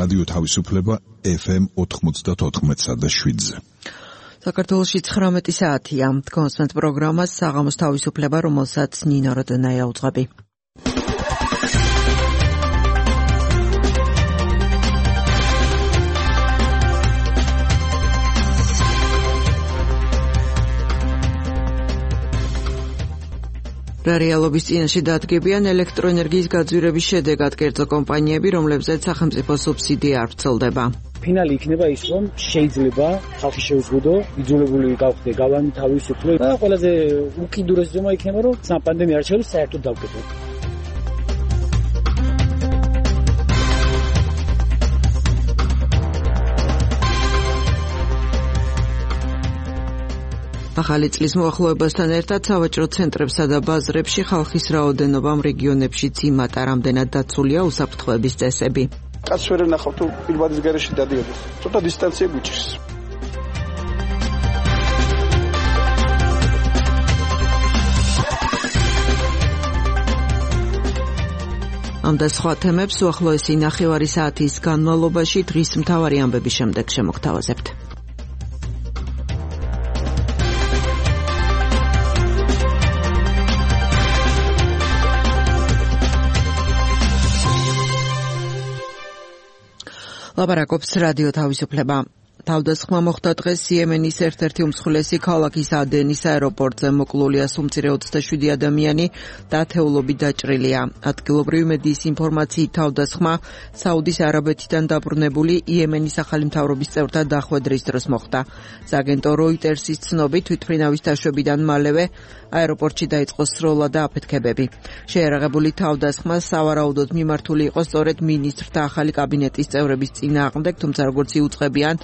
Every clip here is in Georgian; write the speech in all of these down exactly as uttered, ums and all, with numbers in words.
რადიო თავისუფლება ეფ ემ ოთხმოცდაოთხ და შვიდზე. საქართველოში ცხრამეტი საათია. კონსტანტ პროგრამას საღამოს თავისუფლება, რომელსაც ნინო როდონაია უძღვები. რა რეალობის წინაშე დადგებიან ელექტროენერგიის გაძვირების შედეგად კერძო კომპანიები, რომლებზეც სახელმწიფო სუბსიდია არ ვრცელდება. ფინალი იქნება ის, რომ შეიძლება ხალხი შეუზღუდო, იძულებული გავხდე გავანი თავისუფლე და ყველაზე უკიდურეს ზომა იქნება, რომ საპანდემია არჩევნებს საერთოდ დავკეტო. ახალი წლის მოახლოებასთან ერთად სავაჭრო ცენტრებსა და ბაზრებში ხალხის რაოდენობამ რეგიონებშიც იმატა, რამდენად დაცულია უსაფრთხოების წესები. კაცს ვერ ენახავ თუ პირბადის გარეშე დადიოდეს. ცოტა დისტანცია გვიჭირს. ამ და სხვა თემებს უახლოესი ნახევარი საათის განმავლობაში დღის მთავარი ამბების შემდეგ შემოგთავაზებთ. ლაპარაკობს რადიო თავისუფლება. თავდასხმა მოხდა დღეს იემენის ერთ-ერთი უმსხვილესი ქალაქის ადენის აეროპორტზე. მოკლულია სუმცირე ოცდაშვიდი ადამიანი და ათეულობით დაჭრილია. ადგილობრივი მედიის ინფორმაციით თავდასხმა საუდის არაბეთიდან დაბრუნებული იემენის ახალი მთავრობის წევრთა დახვედრის დროს მოხდა. სააგენტო როიტერსის ცნობით თვითმფრინავის დაშვებიდან მალევე აეროპორტში დაიწყო სროლა და აფეთქებები. შეერაღებული თავდასხმა სავარაუდოდ მიმართული იყო სწორედ მინისტრთა ახალი კაბინეტის წევრების წინააღმდეგ, თუმცა როგორც იუწყებიან,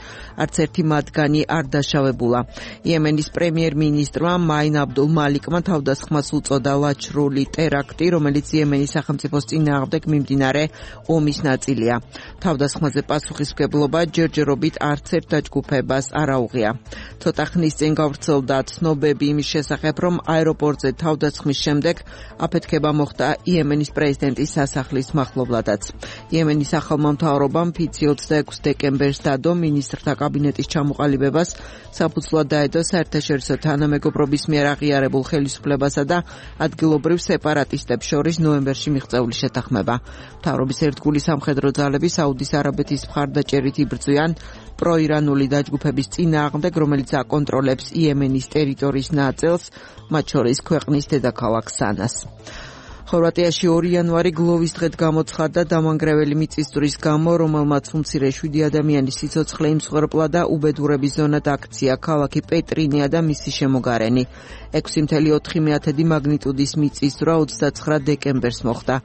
არც ერთი მათგანი არ დაშავებულა. იემენის პრემიერ-მინისტრმა მაინ აბდულ მალიკმა თავდასხმას უწოდა ლაჩრული ტერაქტი, რომელიც იემენის სახელმწიფოს წინააღმდეგ მიმდინარე ომის ნაწილია. თავდასხმაზე პასუხისმგებლობა ჯერჯერობით არც ერთ დაჯგუფებას არ აუღია. ცოტა ხნის წინ გავრცელდა ცნობები იმის შესახებ, რომ აეროპორტზე თავდასხმის შემდეგ აფეთქება მოხდა იემენის პრეზიდენტის სასახლის მახლობლადაც. იემენის ახალმა მთავრობამ ფიცი ოცდაექვსი დეკემბერს დადო მინისტრთა კაბინეტის ჩამოყალიბებას, საფუძვლად დაედო საერთაშორისო თანამეგობრობის მიერ აღიარებულ ხელისუფლებასა და ადგილობრივ სეპარატისტებს შორის ნოემბერში მიღწეული შეთანხმება. მთავრობის ერთგული სამხედრო ძალები საუდის არაბეთის მხარდაჭერით იბრძვიან პროირანული დაჯგუფების წინააღმდეგ, რომელიც აკონტროლებს იემენის ტერიტორიის ნაწილს, მათ შორის ქვეყნის დედაქალაქ სანას. ხორვატიაში ორი იანვარი გლოვის დღედ გამოცხადდა დამანგრეველი მიწისძვრის გამო, რომელმაც უმცირე შვიდი ადამიანის სიცოცხლე იმსხვერპლა და უბედურების ზონად აქცია ქალაქი პეტრინია და მისი შემოგარენი. ექვსი კoma ოთხი მაგნიტუდის მიწისძვრა ოცდაცხრა დეკემბერს მოხდა.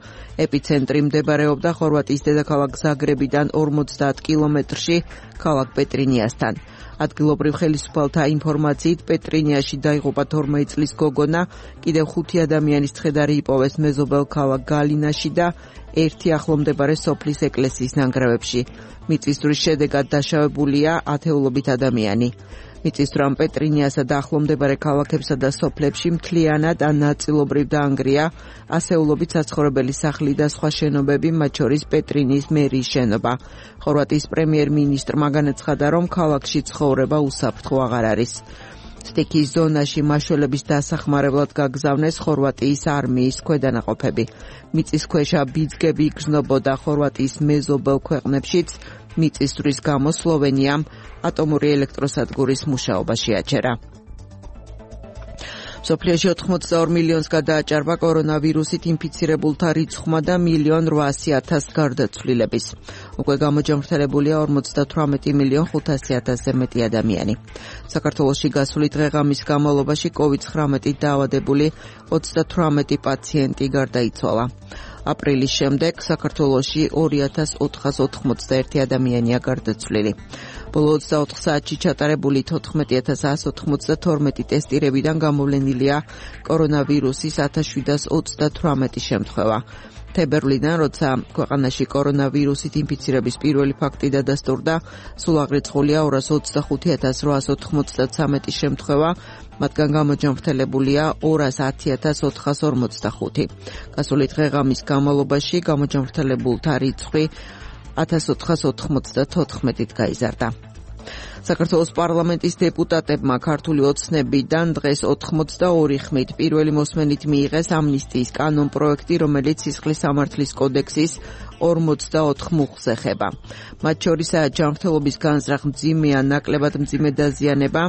ეპიცენტრი მდებარეობდა ხორვატიის დედაქალაქ ზაგრებიდან ორმოცდაათ კილომეტრში ქალაქ პეტრინიასთან. ადგილობრივ ხელისუფალთა ინფორმაციით პეტრინიაში დაიღუპა თორმეტი წლის გოგონა, კიდევ ხუთი ადამიანის ცხედარი იპოვეს მეზობელ ქალაქ გალინაში და ერთი ახლომდებარე სოფლის ეკლესიის ნანგრევებში. მიწისძვრის შედეგად დაშავებულია ათეულობით ადამიანი. მიწისძვრამ პეტრინიასა და ახლომდებარე ქალაქებსა და სოფლებში მთლიანად ან ნაწილობრივ დაანგრია ასეულობით საცხოვრებელი სახლი და სხვა შენობები, მათ შორის პეტრინიის მერიის შენობა. ხორვატიის პრემიერ-მინისტრმა განაცხადა, რომ ქალაქში ცხოვრება უსაფრთხო აღარ არის. სტიქის ზონაში მაშველების დასახმარებლად გაგზავნეს ხორვატიის არმიის ქვედანაყოფები. მიწისქვეშა ბიძგები იგრძნობოდა ხორვატიის მეზობელ ქვეყნებშიც. მიწისძვრის გამო სლოვენიამ ატომური ელექტროსადგურის მუშაობა შეაჩერა. მსოფლიოში ოთხმოცდაორ მილიონს გადააჭარბა კორონავირუსით ინფიცირებულთა რიცხვმა და მილიონ რვაასი ათას გარდაცვლილების. უკვე გამოჯანმრთელებულია ორმოცდათვრამეტი მილიონ ხუთასი ათასზე მეტი ადამიანი. საქართველოში გასული დღე-ღამის განმავლობაში კოვიდ ცხრამეტით დაავადებული ოცდათვრამეტი პაციენტი გარდაიცვალა. აპრილის შემდეგ საქართველოში ორი ათას ოთხას ოთხმოცდაერთი ადამიანია გარდაცვლილი. ბოლო ოცდაოთხ საათში ჩატარებული თოთხმეტი ათას ათს ოცდათორმეტი ტესტირებიდან გამოვლენილია კორონავირუსის ათას შვიდას ოცდათვრამეტი შემთხვევა. თებერვლიდან, როცა ქვეყანაში კორონავირუსით ინფიცირების პირველი ფაქტი დადასტურდა, სულ აღრიცხულია ორას ოცდახუთი ათას რვაას ოთხმოცდათვრამეტი შემთხვევა, მათგან გამოჯანმრთელებულია ორას ათი ათას ოთხას ორმოცდახუთი. გასული დღე-ღამის განმავლობაში გამოჯანმრთელებულთა რიცხვი ათას ოთხას ოთხმოცდათოთხმეტით გაიზარდა. საქართველოს პარლამენტის დეპუტატებმა ქართული ოცნებიდან დღეს ოთხმოცდაორი ხმით პირველი მოსმენით მიიღეს ამნისტიის კანონ პროექტი, რომელიც სისხლის სამართლის კოდექსის ორმოცდაოთხ მუხლს ეხება. მათ შორისაა ჯანმრთელობის განზრახ მძიმე ან ნაკლებად მძიმე დაზიანება,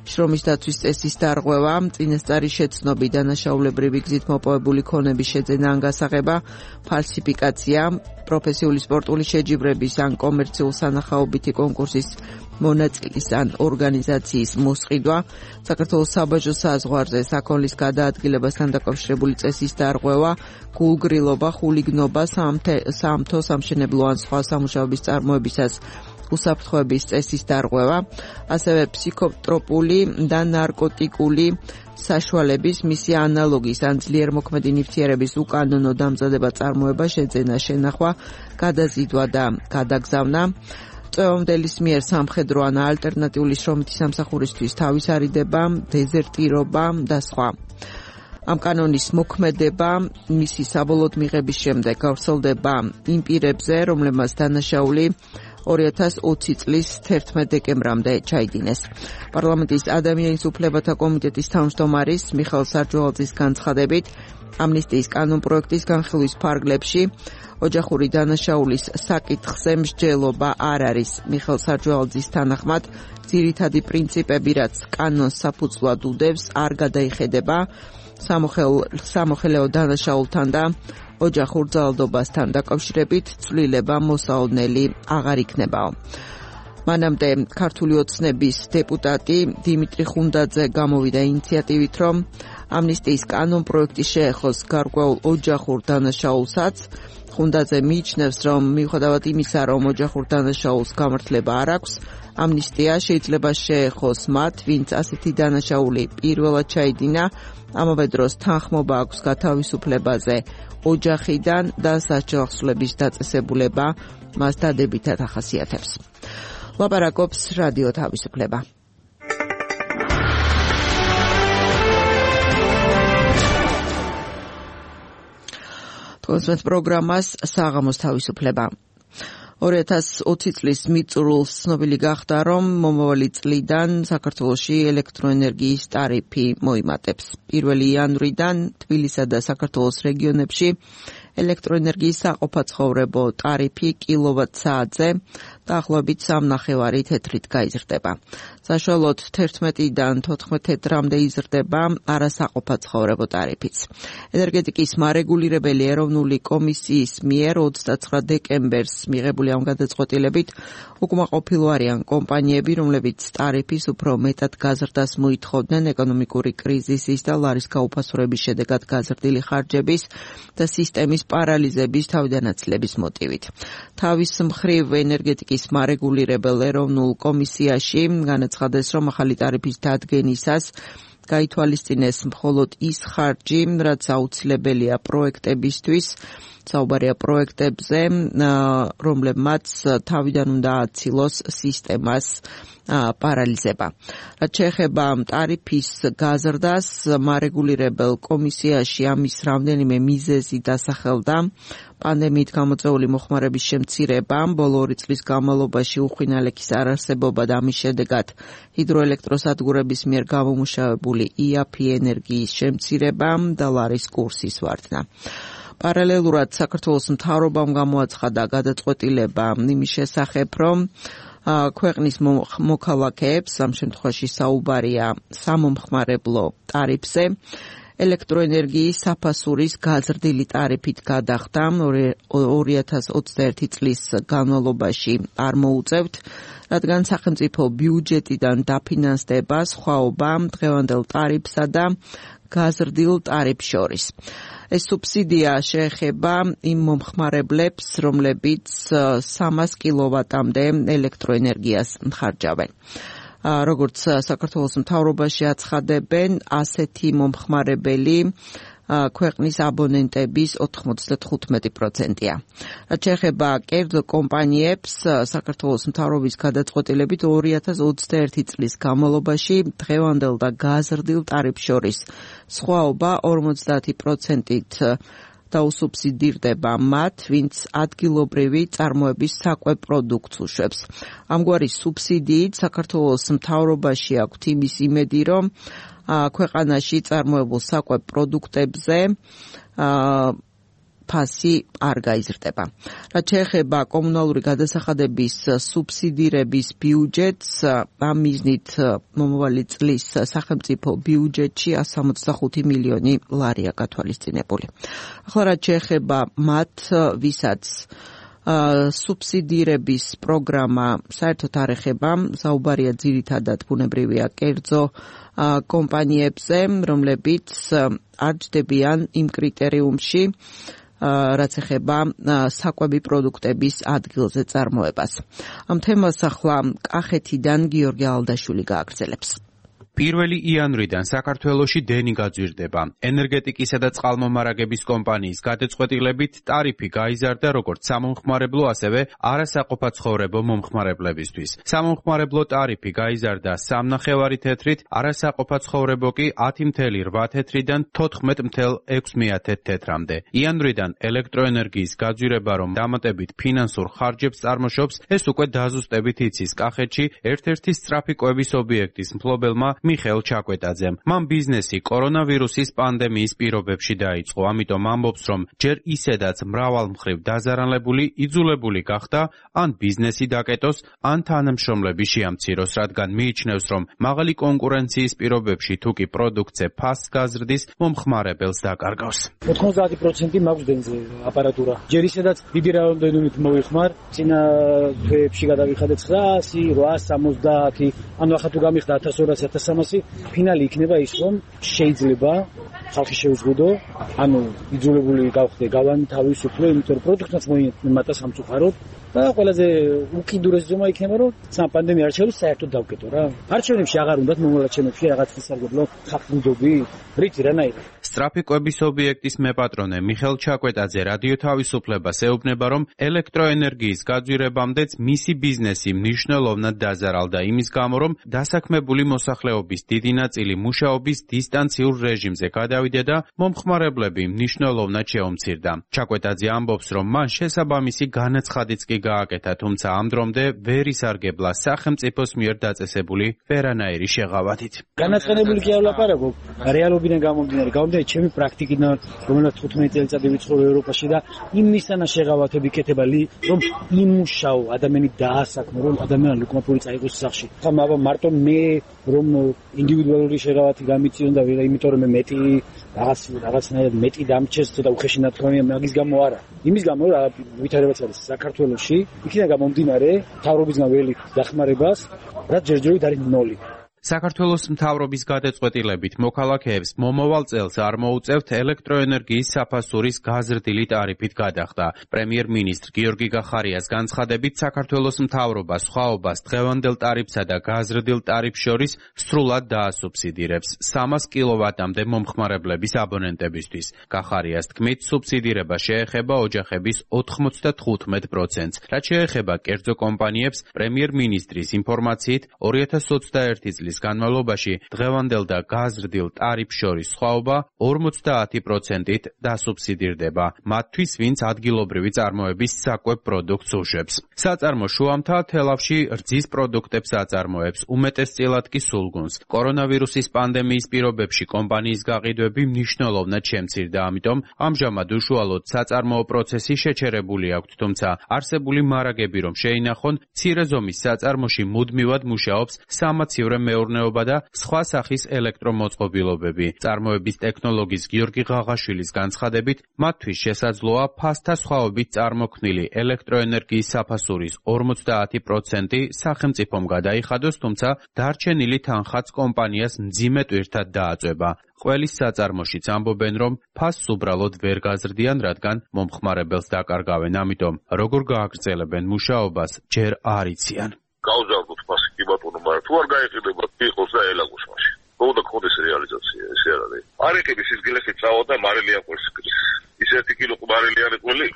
შრომის დაცვის წესის დარღვევა, წინასწარი შეცნობი, დანაშაულებრივი გზით მოპოვებული ქონების შეძენა ან გასაღება, ფალსიფიკაცია, პროფესიული სპორტული შეჯიბრების ან კომერციულ სანახაობითი კონკურსის მონაწილის ან ორგანიზაციის მოსყიდვა, საქართველოს საბაჟო საზღვარზე საქონლის გადაადგილებასთან დაკავშირებული წესის დარღვევა, გულგრილობა, ხულიგნობა, საამთო, სამშენებლო ან სხვა სამუშაოების წარმოებისას უსაფრთხოების წესის დარღვევა, ასევე ფსიქოტროპული და ნარკოტიკული საშუალების, მისი ანალოგის ან ძლიერმოქმედი ნივთიერების უკანონო დამზადება, წარმოება, შეძენა, შენახვა, გადაზიდვა და გადაგზავნა, წვევამდელის მიერ სამხედრო ან ალტერნატიული შრომითი სამსახურისთვის თავისარიდება, დეზერტირობა და სხვა. ამ კანონის მოქმედება მისი საბოლოოდ მიღების შემდეგ გავრცელდება იმ პირებზე, რომლებმაც დანაშაული ორი ათას ოცი წლის თერთმეტ დეკემბრამდე ჩაიდინეს. პარლამენტის ადამიანის უფლებათა კომიტეტის თავმჯდომარის მიხეილ სარჯვალაძის განცხადებით, ამნისტიის კანონ პროექტის განხილვის ფარგლებში ოჯახური დანაშაულის საკითხზე მსჯელობა არ არის. მიხეილ სარჯვალაძის თანახმად, ძირითადი პრინციპები, რაც კანონს საფუძვლად უდევს, არ გადაიხედება სამოხელეო დანაშაულთან და ოჯახურ ძალადობასთან დაკავშირებით ცვლილება მოსაოდნელი აღარ იქნებაო. მანამდე ქართული ოცნების დეპუტატი დიმიტრი ხუნდაძე გამოვიდა ინიციატივით, რომ ამნისტიის კანონ პროექტი შეეხოს გარკვეულ ოჯახურ დანაშაულსაც. ხუნდაძე მიიჩნევს, რომ მიუხედავად იმისა, რომ ოჯახურ დანაშაულს გამართლება არ აქვს, ამნისტია შეიძლება შეეხოს მათ, ვინც ასეთი დანაშაული პირველად ჩაიდინა, ამავე დროს თანხმობა აქვს გათავისუფლებაზე ოჯახიდან და სასჯელახსოვრების დაწესებულება მას დადებითად ახასიათებს. ლაპარაკობს რადიო თავისუფლება. თვალსაჩინო პროგრამას საღამოს თავისუფლება. ორი ათას ოცი წლის მიწურულს ცნობილი გახდა, რომ მომავალი წლიდან საქართველოში ელექტროენერგიის ტარიფი მოიმატებს. პირველი იანვრიდან თბილისსა და საქართველოს რეგიონებში ელექტროენერგიის საყოფაცხოვრებო ტარიფი კილოვატ-საათზე დაახლოებით სამნახევარი თეთრით გაიზრდება. საშუალოდ თერთმეტიდან თოთხმეტ თეთრამდე იზრდება არასაყოფაცხოვრებო ტარიფიც. ენერგეტიკის მარეგულირებელი ეროვნული კომისიის მიერ ოცდაცხრა დეკემბერს მიღებული ამ გადაწყვეტილებით უკმაყოფილო არიან კომპანიები, რომლებიც ტარიფის უფრო მეტად გაზრდას მოითხოვდნენ ეკონომიკური კრიზისის და ლარის გაუფასურების შედეგად გაზრდილი ხარჯების და სისტემის პარალიზების თავდანაცლების მოტივით. თავის მხრივ ენერგეტიკის მარეგულირებელ ეროვნულ კომისიაში განაცხადეს, რომ ახალი ტარიფის დადგენისას გაითვალისწინეს მხოლოდ ის ხარჯი, რაც აუცილებელია პროექტებისთვის, საუბარია პროექტებზე, რომლებმაც თავიდან უნდა აცილოს სისტემას პარალიზება. რაც შეეხება ტარიფის გაზრდას, მარეგულირებელ კომისიაში ამის რამდენიმე მიზეზი დასახელდა. პანდემიით გამოწვეული მოხმარების შემცირება, ბოლო ორი წლის განმავლობაში უხვინალექის არარსებობა და ამის შედეგად ჰიდროელექტროსადგურების მიერ გამომუშავებული იაფი ენერგიის შემცირება და ლარის კურსის ვარდნა. პარალელურად საქართველოს მთავრობამ გამოაცხადა გადაწყვეტილება იმის შესახებ, რომ ქვეყნის მოქალაქეებს, ამ შემთხვევაში საუბარია სამომხმარებლო ტარიფზე, ელექტროენერგიის საფასურის გაზრდილი ტარიფით გადახდა ორი ათას ოცდაერთი წლის განმავლობაში არ მოუწევთ, რადგან სახელმწიფო ბიუჯეტიდან დაფინანსდება სხვაობა დღევანდელ ტარიფსა და გაზრდილ ტარიფს შორის. ეს სუბსიდია შეეხება იმ მომხმარებლებს, რომლებიც სამას კილოვატამდე ელექტროენერგიას ხარჯავენ. როგორც საქართველოს მთავრობაში აცხადებენ, ასეთი მომხმარებელი ქვეყნის აბონენტების ოთხმოცდათხუთმეტი პროცენტია. რაც შეეხება კერძო კომპანიებს, საქართველოს მთავრობის გადაწყვეტილებით ორი ათას ოცდაერთი წლის განმავლობაში დღევანდელ და გაზრდილ ტარიფს შორის სხვაობა ორმოცდაათი პროცენტით დაუსუბსიდირდება მათ, ვინც ადგილობრივი წარმოების საკვებ პროდუქტს უშვებს. ამგვარი სუბსიდიით საქართველოს მთავრობაში აქვთ იმის იმედი, რომ ქვეყანაში წარმოებულ საკვებ პროდუქტებზე ფასი არ გაიზრდება. რაც შეეხება კომუნალური გადასახადების სუბსიდირების ბიუჯეტს, ამ მიზნით მომავალი წლის სახელმწიფო ბიუჯეტში εκατს სამოცდახუთი მილიონი ლარია გათვალისწინებული. ახლა რაც შეეხება მათ, ვისაც სუბსიდირების პროგრამა საერთოდ არ ეხება, საუბარია ძირითადად ბუნებრივია კერძო კომპანიებზე, რომლებიც არ ჯდებიან იმ კრიტერიუმში, რაც ეხება საკვები პროდუქტების ადგილზე წარმოებას. ამ თემას ახლა კახეთიდან გიორგი ალდაშვილი გააგრძელებს. პირველი იანვრიდან საქართველოში დენი გაძვირდება. ენერგეტიკისა და წყალმომარაგების კომპანიის გადაწყვეტილებით ტარიფი გაიზარდა როგორც სამომხმარებლო, ასევე არასაყოფაცხოვრებო მომხმარებლებისთვის. სამომხმარებლო ტარიფი გაიზარდა სამნახევარი თეთრით, არასაყოფაცხოვრებო კი ათი ათეული რვა თეთრიდან თოთხმეტ ათეული ექვსი თეთრამდე. იანვრიდან ელექტროენერგიის გაძვირება, რომ დამატებით ფინანსურ ხარჯებს წარმოშობს, ეს უკვე დაზუსტებით იცის კახეთში ერთ-ერთი სწრაფი კვების ობიექტის მფლობელმა მიხეილ ჩაკვეტაძემ. მან ბიზნესი კორონავირუსის პანდემიის პირობებში დაიწყო, ამიტომ ამბობს, რომ ჯერ ისედაც მრავალმხრივ დაზარალებული, იძულებული გახდა ან ბიზნესი დაკეტოს, ან თანამშრომლები შეამციროს, რადგან მიიჩნევს, რომ მაღალი კონკურენციის პირობებში თუ კი პროდუქტზე ფასს გაზრდის, მომხმარებელს დაკარგავს. ოთხმოცდაათი პროცენტი მაქვს დენზე აპარატურა. ჯერ ისედაც დიდი რაოდენობით მოვიხმარ, წინა თვეებში გადავიხადე ცხრაასი, რვაასი სამოცდაათი, ანუ ახლა თუ გამიხდა ათას ორასი ათას სამასი, ფინალი იქნება ის, რომ შეიძლება ხალხი შეუზღუდო, ანუ იძულებული გავხდე გავანთავისუფლო, იმიტომ რომ პროდუქტს მოიმატა სამწუხაროდ და ყველაზე უკიდურესი ზომა იქნება, რომ საპანდემია არჩევნებს საერთოდ დავკეტო რა. არჩევნებში აღარ უნდათ მომალაჩენებში რაღაც ისარგებლო ხალხმდობი, რითი რანაირად. სწრაფი კვების ობიექტის მეპატრონე მიხეილ ჩაკვეტაძე რადიო თავისუფლებას ეუბნება, რომ ელექტროენერგიის გაძვირებამდეც მისი ბიზნესი მნიშვნელოვნად დაზარალდა იმის გამო, რომ დასაქმებული მოსახლეობის დიდი ნაწილი მუშაობის დისტანციურ რეჟიმზე გადავიდა და მომხმარებლები მნიშვნელოვნად შეუმცირდა. ჩაკვეტაძე ამბობს, რომ მან შესაბამისი განაცხადიც კი გააკეთა, თუმცა ამ დრომდე ვერ ისარგებლა სახელმწიფოს მიერ დაწესებული ვერანაირი შეღავათით. განაცხადებული კი არ ვლაპარაკობ, რეალობიდან გამომდინარე, გამომდინარე ჩემი პრაქტიკიდან, რომელსაც თხუთმეტი წელიწადი ვიცხოვრე ევროპაში და იმისანა შეღავათები კეთება, რომ იმუშაო ადამიანი დაასაქმო, რომ ადამიანი უკმაყოფილი წაიღოს სახში. ხა მარტო მე რომ ინდივიდუალური შეღავათი გამიწიონ და იმიტომ რომ მე მეტი რაღაც რაღაცნაირად მეტი დამჩეს და უხეში ნათქვამია მაგის გამო არა. იმის გამო რა ვითარებაც არის საქართველოში, იქიდან გამომდინარე თავრობისგან ველი დახმარებას, რაც ჯერჯერობით არის ნოლი. საქართველოს მთავრობის გადაწყვეტილებით მოქალაქეებს მომავალ წელს არ მოუწევთ ელექტროენერგიის საფასურის გაზრდილი ტარიფით გადახდა. პრემიერ-მინისტრ გიორგი გახარიას განცხადებით, საქართველოს მთავრობა სხვაობას დღევანდელ ტარიფსა და გაზრდილ ტარიფს შორის სრულად დაასუბსიდირებს სამას კილოვატამდე მომხმარებლების აბონენტებისთვის. გახარიას თქმით, სუბსიდირება შეეხება ოჯახების ოთხმოცდათხუთმეტ პროცენტს. რაც შეეხება კერძო კომპანიებს, პრემიერ-მინისტრის ინფორმაციით ორი ათას ოცდაერთი წლის განმავლობაში დღევანდელ და გაზრდილ ტარიფს შორის სხვაობა ორმოცდაათი პროცენტით დასუბსიდირდება მათთვის, ვინც ადგილობრივი წარმოების საკვებ პროდუქტს უშვებს. საწარმო შუამთა თელავში რძის პროდუქტებს აწარმოებს, უმეტესწილად კი სულგუნს. კორონავირუსის პანდემიის პირობებში კომპანიის გაყიდვები მნიშვნელოვნად შემცირდა, ამიტომ ამჟამად უშუალოდ საწარმოო პროცესი შეჩერებული აქვთ, თუმცა არსებული მარაგები რომ შეინახონ, მცირე ზომის საწარმოში მუდმივად მუშაობს სამაცივრე მეურნეობა და სხვა სახის ელექტრომოწყობილობები. წარმოების ტექნოლოგის გიორგი ღაღაშვილის განცხადებით, მათთვის შესაძლოა ფასთა სხვაობით წარმოქმნილი ელექტროენერგიის საფასურის ორმოცდაათი პროცენტი სახელმწიფომ გადაიხადოს, თუმცა დარჩენილი თანხაც კომპანიას მძიმე ტვირთად დააწვება. ყველის საწარმოშიც ამბობენ, რომ ფასს უბრალოდ ვერ გაზრდიან, რადგან მომხმარებელს დაკარგავენ, ამიტომ როგორ გააგრძელებენ მუშაობას, ჯერ არ იციან. გავზარდოთ ფასი კი ბატონო, მაგრამ თუ არ გაიყიდება, იყოს და ელაგოს მაშინ. მოდა ხოდეს რეალიზაცია, ესე არ არის. არ იყიდეს ის გილესი წავა და მარილი აყოს კრის. ის ერთი კილო მარილი არ იყოლი,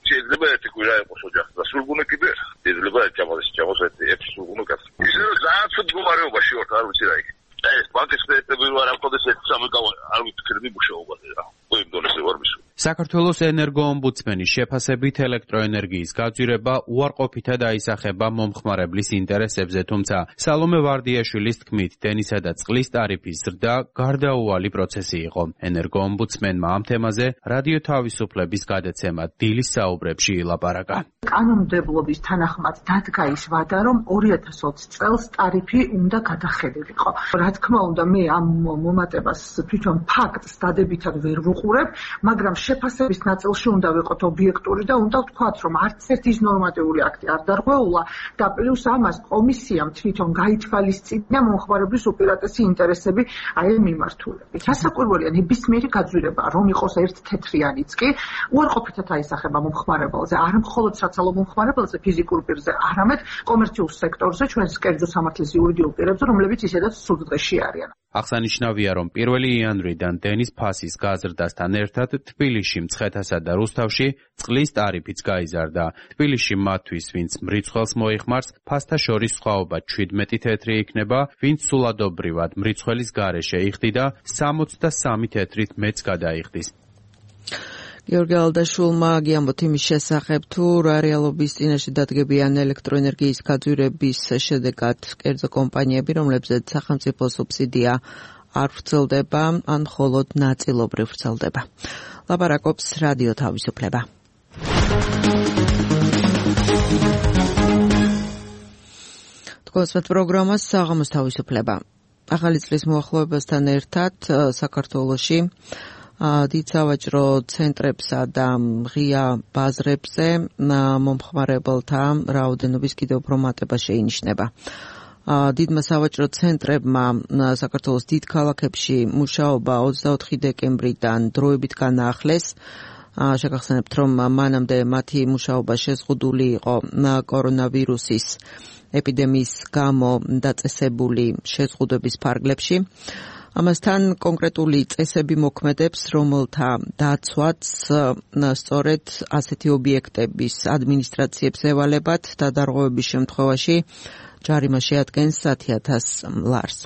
შეიძლება ერთი კვირა იყოს ოჯახს და სულგუნე კიდე. შეიძლება ჩამოს ჩამოს ერთი სულგუნე გას. ისე რომ ზააც მდგომარეობაში ვართ, არ ვიცი რა იქ. ეს ბანკის კრედიტები არ ამხოდეს ერთი სამი არ ვიცი მუშაობაზე რა. იმ დონეზე ვარ მისული. საქართველოს ენერგოომბუდსმენის შეფასებით ელექტროენერგიის გაძვირება უარყოფითად აისახება მომხმარებლის ინტერესებზე, თუმცა სალომე ვარდიაშვილის თქმით, დენისა და წყლის ტარიფის ზრდა გარდაუვალი პროცესი იყო. ენერგოომბუდსმენმა ამ თემაზე რადიო თავისუფლების გადაცემა დილის საუბრებში ილაპარაკა. კანონმდებლობის თანახმად დადგა ის ვადა, რომ ორი ათას ოცი წელს ტარიფი უნდა გადახედულიყო. რა თქმა უნდა, მე ამ მომატებას თვითონ ფაქტს დადებითად ვერ ვუყურებ, მაგრამ შეფასების ნაწილში უნდა ვიყოთ ობიექტური და უნდა ვთქვათ, რომ არც ერთი ის ნორმატიული აქტი არ დარღვეულა და პლუს ამას კომისიამ თვითონ გაითვალისწინა მომხმარებლის უპირატესი ინტერესები აი ამ მიმართულებით. გასაკვირველია ნებისმიერი გაძვირება, რომ იყოს ერთ თეთრიანიც კი უარყოფითად აისახება მომხმარებელზე, არ მხოლოდ საცალო მომხმარებელზე, ფიზიკურ პირზე, არამედ კომერციულ სექტორზე, ჩვენს კერძო სამართლის იურიდიულ პირებზე, რომლებიც ისედაც სულიერ არიან. აღსანიშნავია, რომ პირველი იანვრიდან დენის ფასის გაზრდასთან ერთად თბილისში, მცხეთასა და რუსთავში წყლის ტარიფიც გაიზარდა. თბილისში მათთვის, ვინც მრიცხველს მოიხმარს, ფასთა შორის სხვაობა ჩვიდმეტი თეთრი იქნება, ვინც სულადობრივად მრიცხველის გარეშე იხდიდა, სამოცდა სამი თეთრით მეც გადაიხდის. გიორგი ალდაშვილმა გიამბოთ იმის შესახებ, თუ რა რეალობის წინაშე დადგებიან ელექტროენერგიის გაძვირების შედეგად კერძო კომპანიები, რომლებზეც სახელმწიფო სუბსიდია არ ვრცელდება, ან მხოლოდ ნაწილობრივ ვრცელდება. ლაპარაკობს რადიო თავისუფლება. თქვენს პროგრამას საღამოს თავისუფლება. ახალი წლის მოახლოებასთან ერთად საქართველოში დიდ სავაჭრო ცენტრებსა და ღია ბაზრებზე მომხმარებელთა რაოდენობის კიდევ უფრო მატება შეინიშნება. დიდმა სავაჭრო ცენტრებმა საქართველოს დიდ ქალაქებში მუშაობა ოცდაოთხი დეკემბრიდან დროებით განაახლეს. შეგახსენებთ, რომ მანამდე მათი მუშაობა შეზღუდული იყო კორონავირუსის ეპიდემიის გამო დაწესებული შეზღუდვების ფარგლებში. ამასთან კონკრეტული წესები მოქმედებს, რომელთა დაცვაც სწორედ ასეთი ობიექტების ადმინისტრაციებს ევალებათ და დარღვევების შემთხვევაში ჯარიმა შეადგენს ათი ათას ლარს.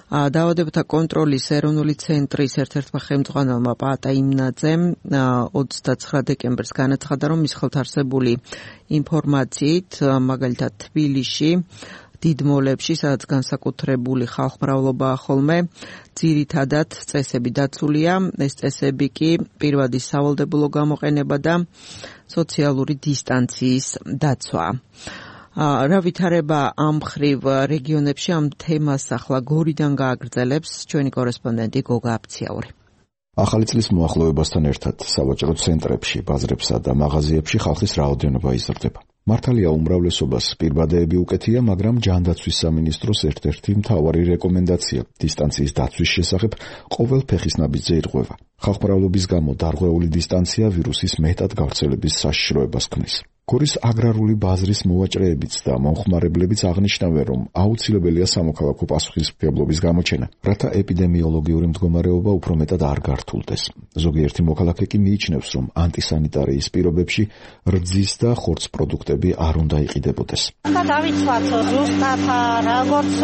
დაავადებათა კონტროლის ეროვნული ცენტრის ერთ-ერთმა ხელმძღვანელმა პაატა იმნაძემ ოცდაცხრა დეკემბერს განაცხადა, რომ მის ხელთ არსებული ინფორმაციით, მაგალითად თბილისში დიდ მოლებში, სადაც განსაკუთრებული ხალხმრავლობაა ხოლმე, ძირითადად წესები დაცულია. ეს წესები კი პირვადი სავალდებულო გამოყენება და სოციალური დისტანციის დაცვა. რა ვითარება ამ ხრივ რეგიონებში, ამ თემას ახლა გორიდან გააგრძელებს ჩვენი კორესპონდენტი გოგა აფციაური. ახალი წლის მოახლოებასთან ერთად სავაჭრო ცენტრებში, ბაზრებსა და მაღაზიებში ხალხის რაოდენობა იზრდება. მართალია უმრავლესობას პირბადეები უკეთია, მაგრამ ჯანდაცვის სამინისტროს ერთ-ერთი მთავარი რეკომენდაცია დისტანციის დაცვის შესახებ ყოველ ფეხის ნაბიჯზე ირღვევა. ხალხმრავლობის გამო დარღვეული დისტანცია ვირუსის მეტად გავრცელების საშიშროებას ქმნის. გორის აგრარული ბაზრის მოვაჭრეებიც და მომხმარებლებიც აღნიშნავენ, რომ აუცილებელია სამოქალაქო პასუხისმგებლობის გამოჩენა, რათა ეპიდემიოლოგიური მდგომარეობა უფრო მეტად არ გართულდეს. ზოგიერთი მოქალაქე კი მიიჩნევს, რომ ანტისანიტარიის პირობებში რძის და ხორცს პროდუქტები არ უნდა იყიდებოდეს. უნდა დავიცვათ ზუსტად როგორც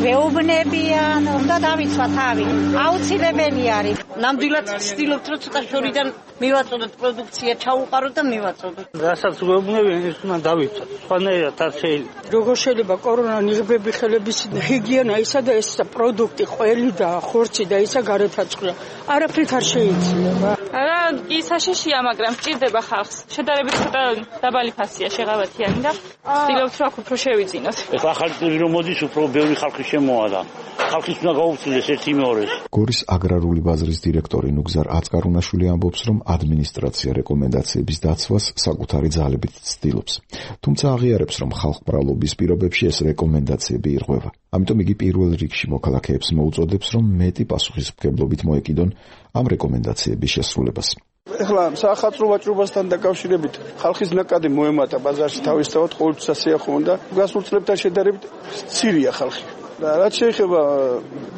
მეუბნებიან, უნდა დავიცვათ თავი. აუცილებელი არის. ნამდვილად ვცდილობთ, რომ ცოტა შორიდან მივაწოდოთ პროდუქცია, ჩაუყაროთ და მივაწოდოთ. რასაც გვეუბნებიან, ის უნდა დავიცვათ. სხვანაირად არ შეიძლება. როგორ შეიძლება კორონა ნიღბები ხელების ჰიგიენა ისა და ეს პროდუქტი ყველი და ხორცი და ისა გარეთაწყდა. არაფრით არ შეიძლება. არა, ის საშიშია, მაგრამ სჭირდება ხალხს. შედარებით ცოტა დაბალი ფასია შეღავათიანი და ვცდილობთ, რომ უფრო შევიძინოთ. ეხლა ახალი წელი რომ მოდის, უფრო ბევრი ხალხი შემოადა. ხალხის უნდა გაუწიდეს ერთი მეორეს. გორის აგრარული ბაზრის დირექტორი ნუგზარ აწკარუნაშვილი ამბობს, რომ ადმინისტრაცია რეკომენდაციების დაცვას საკუთარი ძალებით ცდილობს. თუმცა აღიარებს, რომ ხალხმრავლობის პირობებში ეს რეკომენდაციები ირღვევა. ამიტომ იგი პირველ რიგში მოქალაქეებს მოუწოდებს, რომ მეტი პასუხისმგებლობით მოეკიდონ ამ რეკომენდაციების შესრულებას. ეხლა საახალწლო ვაჭრობასთან დაკავშირებით ხალხის ნაკადი მოემატა ბაზარში თავისთავად ყოველთვის ასეა ხომ და გასულ წლებთან შედარებით ცირია ხალხი. და რაც შეეხება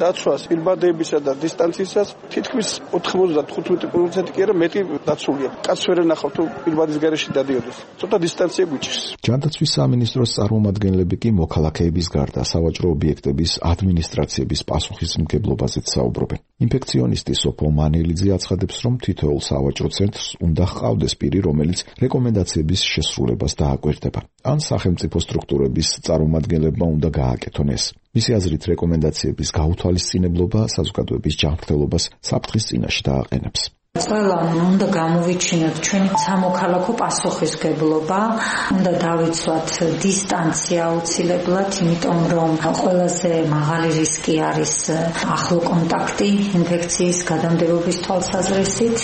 დაცვას, პირბადეებისა და დისტანციისას, თითქმის ოთხმოცდათხუთმეტი პროცენტი კი არა მეტი დაცულია. კაც ვერ ენახავ თუ პირბადის გარეშე დადიოდეს. ცოტა დისტანცია გვიჭირს. ჯანდაცვის სამინისტროს წარმომადგენლები კი მოქალაქეების გარდა სავაჭრო ობიექტების ადმინისტრაციების პასუხისმგებლობაზეც საუბრობენ. ინფექციონისტი სოფო მანელიძე აცხადებს, რომ თითოეულ სავაჭრო ცენტრს უნდა ჰყავდეს პირი, რომელიც რეკომენდაციების შესრულებას დააკვირდება. ან სახელმწიფო სტრუქტურების წარმომადგენლებმა უნდა გააკეთონ ეს. მისი აზრით, რეკომენდაციების გაუთვალისწინებლობა საზოგადოების ჯანმრთელობას საფრთხის წინაშე დააყენებს. ყველამ უნდა გამოვიჩინოთ ჩვენი სამოქალაქო პასუხისმგებლობა, უნდა დავიცვათ დისტანცია აუცილებლად, იმიტომ რომ ყველაზე მაღალი რისკი არის ახლო კონტაქტი ინფექციის გადამდებობის თვალსაზრისით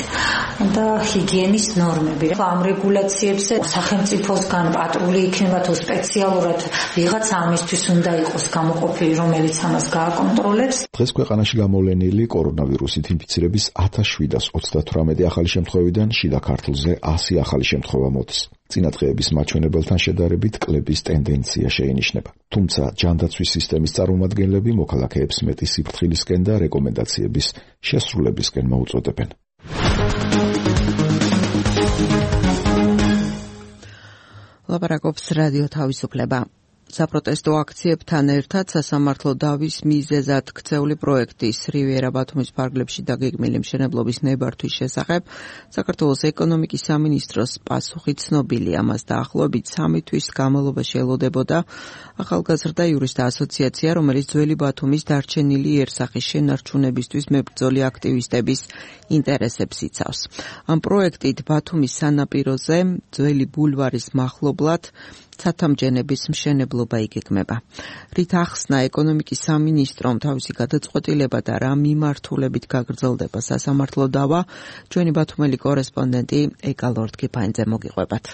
და ჰიგიენის ნორმები. ამ რეგულაციებზე სახელმწიფოსგან პატრული იქნება თუ სპეციალურად ვიღაცა ამისთვის უნდა იყოს გამოყოფილი, რომელიც ამას გააკონტროლებს. დღეს ქვეყანაში გამოვლენილი კორონავირუსით ინფიცირების ათას შვიდას ოცდათვრამეტი ახალი შემთხვევიდან შიდა ქართლზე ასი ახალი შემთხვევა მოდის. წინა დღეების მაჩვენებელთან შედარებით კლების ტენდენცია შეინიშნება. თუმცა ჯანდაცვის სისტემის წარმომადგენლები მოქალაქეებს მეტი სიფრთხილისკენ და რეკომენდაციების შესრულებისკენ მოუწოდებენ. ლაპარაკობს რადიო თავისუფლება. საპროტესტო აქციებთან ერთად სასამართლო დავის მიზეზად ქცეული პროექტის რივიერა ბათუმის ფარგლებში დაგეგმილი მშენებლობის ნებართვის შესახებ საქართველოს ეკონომიკის სამინისტროს პასუხი ცნობილია. მას დაახლოებით სამი თვის განმავლობაში ელოდებოდა ახალგაზრდა იურისტთა ასოციაცია, რომელიც ძველი ბათუმის დარჩენილი იერსახის შენარჩუნებისთვის მებრძოლი აქტივისტების ინტერესებს იცავს. ამ პროექტით ბათუმის სანაპიროზე ძველი ბულვარის მახლობლად ცათამჯენების მშენებლობა იგეგმება. რით ახსნა ეკონომიკის სამინისტრომ თავისი გადაწყვეტილება და რა მიმართულებით გაგრძელდება სასამართლო დავა, ჩვენი ბათუმელი კორესპონდენტი ეკა ლორდ-კიფაინძე მოგიყვებათ.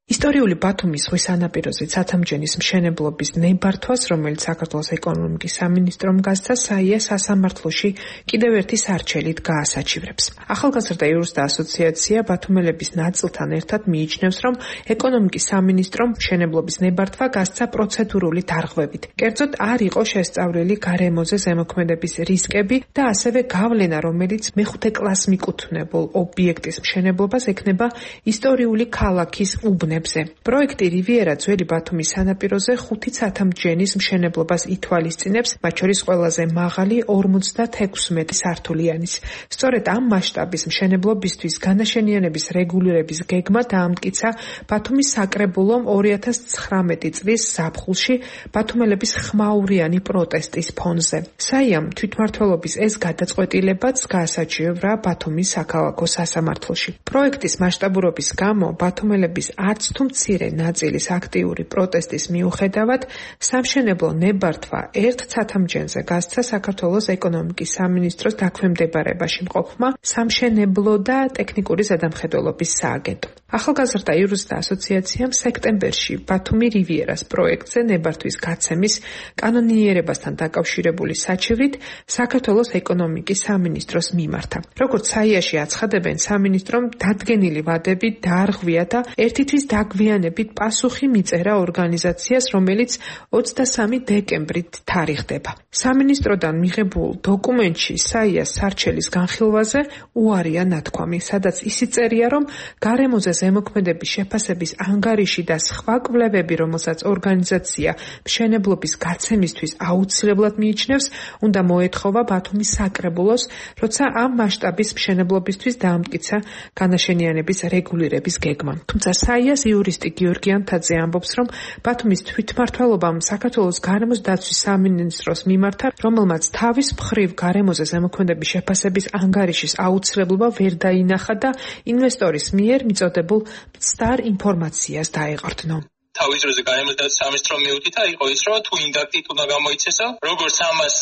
ისტორიული ბათუმის ზღვის სანაპიროზე ცათამჯენის მშენებლობის ნებართვას, რომელიც საქართველოს ეკონომიკის სამინისტრომ გასცა, საია სასამართლოში კიდევ ერთი სარჩელით გაასაჩივრებს. ახალგაზრდა იურისტთა ასოციაცია ბათუმელების ნაწილთან ერთად მიიჩნევს, რომ ეკონომიკის სამინისტრომ მშენებლობის ნებართვა გასცა პროცედურული დარღვევით. კერძოდ არ იყო შესწავლილი გარემოზე ზემოქმედების რისკები და ასევე გავლენა, რომელიც მეხუთე კლასს მიკუთვნებულ ობიექტის მშენებლობას ექნება ისტორიული ქალაქის უბნებს. პროექტი რივიერა ძველი ბათუმის სანაპიროზე ხუთი ცათამჯენის მშენებლობას ითვალისწინებს, მათ შორის ყველაზე მაღალი ორმოცდათექვსმეტი სართულიანის. სწორედ ამ მასშტაბის მშენებლობისთვის განაშენიანების რეგულირების გეგმა დაამტკიცა ბათუმის საკრებულომ ორი ათას ცხრამეტი წლის ზაფხულში ბათუმელების ხმაურიანი პროტესტის ფონზე. საიამ თვითმმართველობის ეს გადაწყვეტილებაც გაასაჩივრა ბათუმის საქალაქო სასამართლოში. პროექტის მასშტაბურობის გამო ბათუმელების არც თუ მცირე ნაწილის აქტიური პროტესტის მიუხედავად სამშენებლო ნებართვა ერთ ცათამჯენზე გასცა საქართველოს ეკონომიკის სამინისტროს დაქვემდებარებაში მყოფმა სამშენებლო და ტექნიკური ზედამხედველობის სააგენტომ. ახალგაზრდა იურისტთა ასოციაციამ სექტემბერში ბათუმი რივიერას პროექტზე ნებართვის გაცემის კანონიერებასთან დაკავშირებული საჩივრით საქართველოს ეკონომიკის სამინისტროს მიმართა. როგორც საიაში აცხადებენ, სამინისტრომ დადგენილი ვადები დაარღვია და ერთი თვის დაგვიანებით პასუხი მიწერა ორგანიზაციას, რომელიც ოცდასამი დეკემბრით თარიღდება. სამინისტროდან მიღებულ დოკუმენტში საიას სარჩელის განხილვაზე უარია ნათქვამი, სადაც ისიც წერია, რომ გარემოზე ზემოქმედების შეფასების ანგარიში და სხვა კვლევები, რომელსაც ორგანიზაცია მშენებლობის გაცემისთვის აუცილებლად მიიჩნევს, უნდა მოეთხოვა ბათუმის საკრებულოს, როცა ამ მასშტაბის მშენებლობისთვის დაამტკიცა განაშენიანების რეგულირების გეგმა. თუმცა საიას იურისტი გიორგი ანთაძე ამბობს, რომ ბათუმის თვითმმართველობამ საქართველოს გარემოს დაცვის სამინისტროს მიმართა, რომელმაც თავის მხრივ გარემოზე ზემოქმედების შეფასების ანგარიშის აუცილებლობა ვერ დაინახა და ინვესტორის მიერ მიწოდებულ მცდარ ინფორმაციას დაეყრდნო. თავის დროზე გარემოს დაცვის სამინისტრომ მიუთითა იყო ის, რომ თუ ინდაქტით უნდა გამოიცესო, როგორც ამას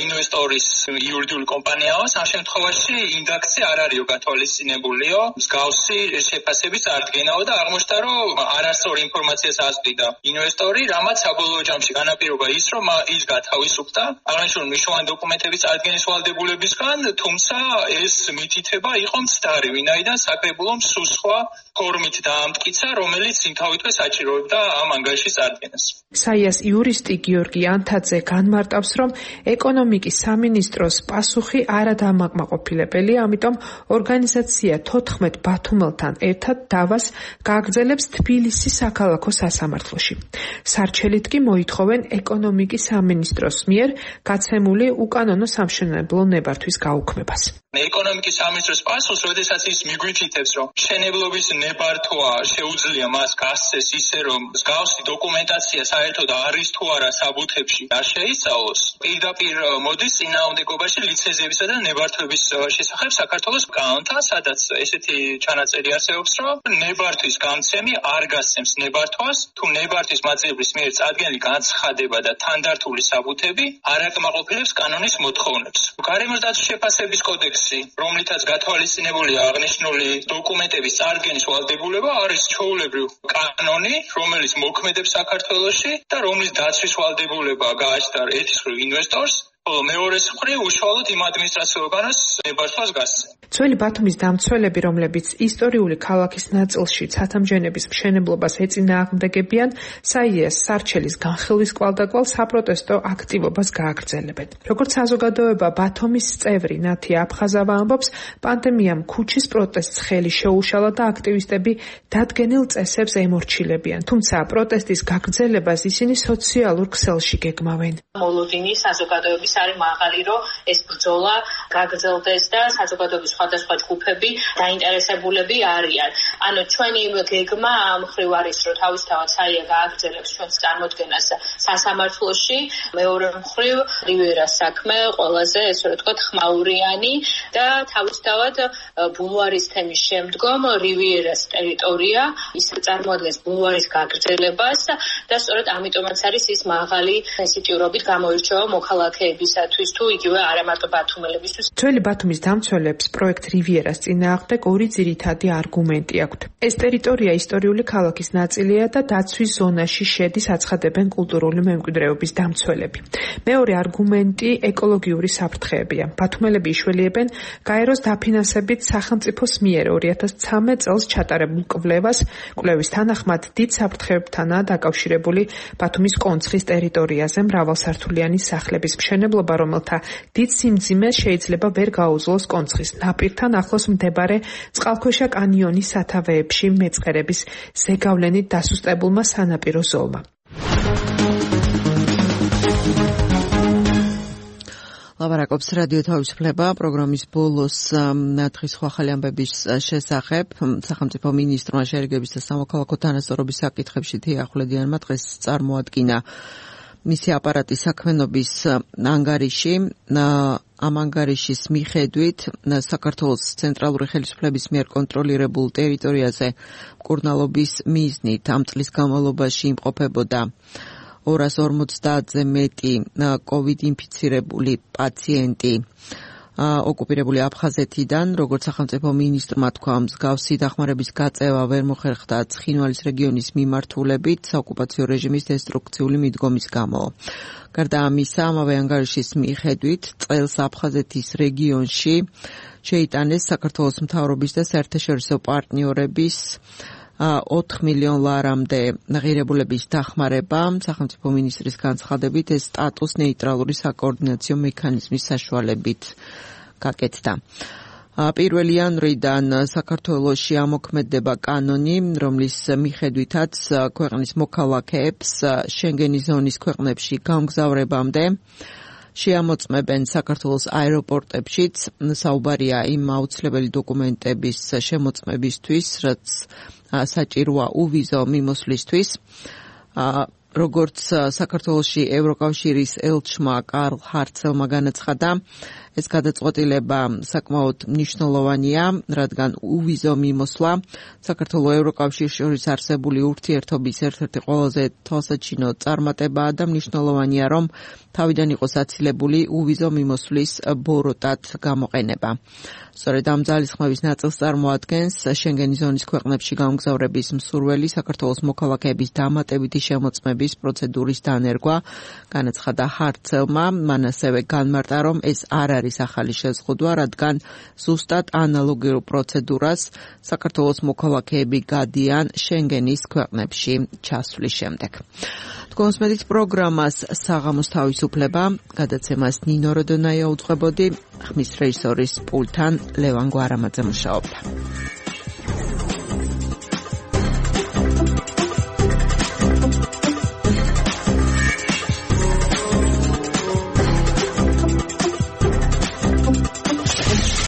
ინვესტორის იურიდიული კომპანიაო, ამ შემთხვევაში ინდაქცია არ არისო გათვალისწინებულიო, მსგავსი შეფასების წარდგენაო და აღმოჩნდა, რომ არასწორი ინფორმაციას ასწვიდა ინვესტორი, რამაც საბოლოო ჯამში განაპირობა ის, რომ ის გათავისუფლდა აღნიშნული მნიშვნელოვანი დოკუმენტების წარდგენის ვალდებულებისგან, თუმცა ეს მითითება იყო მცდარი, ვინაიდან საკრებულომ სულ სხვა ფორმით დაამტკიცა, რომელიც იმთავითვე საჭიროებდა ამ ანგარიშის წარდგენას. საიას იურისტი გიორგი ანთაძე განმარტავს, რომ ეკონომიკის სამინისტროს პასუხი არადამაკმაყოფილებელია, ამიტომ ორგანიზაცია თოთხმეტ ბათუმელთან ერთად დავას გააგრძელებს თბილისის საქალაქო სასამართლოში. სარჩელით კი მოითხოვენ ეკონომიკის სამინისტროს მიერ გაცემული უკანონო სამშენებლო ნებართვის გაუქმებას. ეკონომიკის სამინისტროს პასუხს, როდესაც ის მიგვითითებს, რომ მშენებლობის ნებართვა შეუძლია მას გასცეს ისე, რომ მსგავსი დოკუმენტაცია საერთოდ არის თუ არა საბუთებში არ შეისწავლოს, პირდაპირ მოდის წინააღმდეგობაში ლიცენზიებისა და ნებართვების შესახებ საქართველოს კანონთან, სადაც ესეთი ჩანაწერი არსებობს, რომ ნებართვის გამცემი არ გასცემს ნებართვას, თუ ნებართვის მაძიებლის მიერ წარდგენილი განცხადება და თანდართული საბუთები არ აკმაყოფილებს კანონის მოთხოვნებს. გარემოს დაცვის შეფასების კოდექსი, რომლითაც გათვალისწინებულია აღნიშნული დოკუმენტების წარდგენის ვალდებულება, არის ჩვეულებრივ კანონი, რომელიც მოქმედებს საქართველოში და რომლის დაცვის ვალდებულება გააჩნდა ერთის მხრივ ინვესტორს, ხოლო მეორეს მხრივ უშუალოდ იმ ადმინისტრაციულ ორგანოს ნებართვას გასცემს. ძველი ბათუმის დამცველები, რომლებიც ისტორიული ქალაქის ნაწილში ცათამბჯენების მშენებლობას ეწინააღმდეგებიან, საიას სარჩელის განხილვის კვალდაკვალ საპროტესტო აქტივობას გააგრძელებენ. როგორც საზოგადოება ბათუმის წევრი ნათია აფხაზავა ამბობს, პანდემიამ ქუჩის პროტესტს ხელი შეუშალა და აქტივისტები დადგენილ წესებს ემორჩილებიან, თუმცა პროტესტის გაგრძელებას ისინი სოციალურ ქსელში გეგმავენ. მოლოდინი საზოგადოების არის მაღალი, რომ ეს ბრძოლა გაგრძელდეს და საზოგადოების სხვადასხვა ჯგუფები დაინტერესებულები არიან. ანუ ჩვენი გეგმა ამ მხრივ არის, რომ თავისთავად საია გააგრძელებს ჩვენს წარმოდგენას სასამართლოში, მეორე მხრივ რივიერას საქმე ყველაზე, ესე რომ ვთქვათ, ხმაურიანი და თავისთავად ბულვარის თემის შემდგომ რივიერას ტერიტორია ის წარმოადგენს ბულვარის გაგრძელებას და სწორედ ამიტომაც არის ის მაღალი სენსიტიურობით გამოირჩევა მოქალაქეებისათვის თუ იგივე არა მარტო ბათუმელებისთვის. ძველი ბათუმის დამცველებს პროექტ რივიერას წინააღმდეგ ორი ძირითადი არგუმენტი აქვთ. ეს ტერიტორია ისტორიული ქალაქის ნაწილია და დაცვის ზონაში შედის, აცხადებენ კულტურული მემკვიდრეობის დამცველები. მეორე არგუმენტი ეკოლოგიური საფრთხეებია. ბათუმელები იშველიებენ გაეროს დაფინანსებით სახელმწიფოს მიერ ორი ათას ცხრამეტ წელს ჩატარებულ კვლევას. კვლევის თანახმად დიდ საფრთხეებთანაა დაკავშირებული ბათუმის კონცხის ტერიტორიაზე მრავალსართულიანი სახლების მშენებლობა, რომელთა დიდ სიმძიმეს შეიძლება ვერ გაუძლოს კონცხის ნაპირთან ახლოს მდებარე წყალქვეშა კანიონის სათავეებში მეწყერების ზეგავლენით დასუსტებულმა სანაპირო ზოლმა. ლაპარაკობს რადიო თავისუფლება პროგრამის ბოლოს დღის ახალი ამბების შესახებ. სახელმწიფო მინისტრმა შერიგების და სამოქალაქო თანასწორობის საკითხებში თია ახვლედიანმა დღეს წარმოადგინა მისი აპარატის საქმიანობის ანგარიში. ამ ანგარიშის მიხედვით საქართველოს ცენტრალური ხელისუფლების მიერ კონტროლირებულ ტერიტორიაზე მკურნალობის მიზნით ამ წლის განმავლობაში იმყოფებოდა ორას ორმოცდაათზე მეტი კოვიდ ინფიცირებული პაციენტი ოკუპირებული აფხაზეთიდან. როგორც სახელმწიფო მინისტრმა თქვა, მსგავსი დახმარების გაწევა ვერ მოხერხდა ცხინვალის რეგიონის მიმართულებით საოკუპაციო რეჟიმის დესტრუქციული მიდგომის გამო. გარდა ამისა, ამავე ანგარიშის მიხედვით წელს აფხაზეთის რეგიონში შეიტანეს საქართველოს მთავრობის და საერთაშორისო პარტნიორების ოთხ მილიონ ლარამდე ღირებულების დახმარება. სახელმწიფო მინისტრის განცხადებით ეს სტატუს ნეიტრალური საკოორდინაციო მექანიზმის საშუალებით გაკეთდა. პირველი იანვრიდან საქართველოში ამოქმედდება კანონი, რომლის მიხედვითაც ქვეყნის მოქალაქეებს შენგენის ზონის ქვეყნებში გამგზავრებამდე შეამოწმებენ საქართველოს აეროპორტებშიც. საუბარია იმ აუცილებელი დოკუმენტების შემოწმებისთვის, რაც საჭიროა უვიზო მიმოსვლისთვის. როგორც საქართველოში ევროკავშირის ელჩმა კარლ ჰარცელმა განაცხადა, ეს გადაწყვეტილება საკმაოდ მნიშვნელოვანია, რადგან უვიზო მიმოსვლა საქართველოს ევროკავშირის შორის არსებული ურთიერთობის ერთ-ერთი ყველაზე თვალსაჩინო წარმატებაა და მნიშვნელოვანია, რომ თავიდან იყოს აცილებული უვიზო მიმოსვლის ბოროტად გამოყენება. სწორედ ამ ძალისხმევის ნაწილს წარმოადგენს შენგენის ზონის ქვეყნებში გამგზავრების მსურველი საქართველოს მოქალაქეების დამატებითი შემოწმების პროცედურის დანერგვა. განაცხადა ჰარცელმა, მან ასევე განმარტა, რომ ეს არ არის არის ახალი შეზღუდვა, რადგან ზუსტად ანალოგიურ პროცედურას საქართველოს მოქალაქეები გადიან შენგენის ქვეყნებში ჩასვლის შემდეგ. თქვენს მედით პროგრამას საღამოს თავისუფლება, გადაცემას ნინო როდონაია უძღვებოდი, ხმის რეჟისორის პულტთან ლევან გვარამაძე მუშაობდა.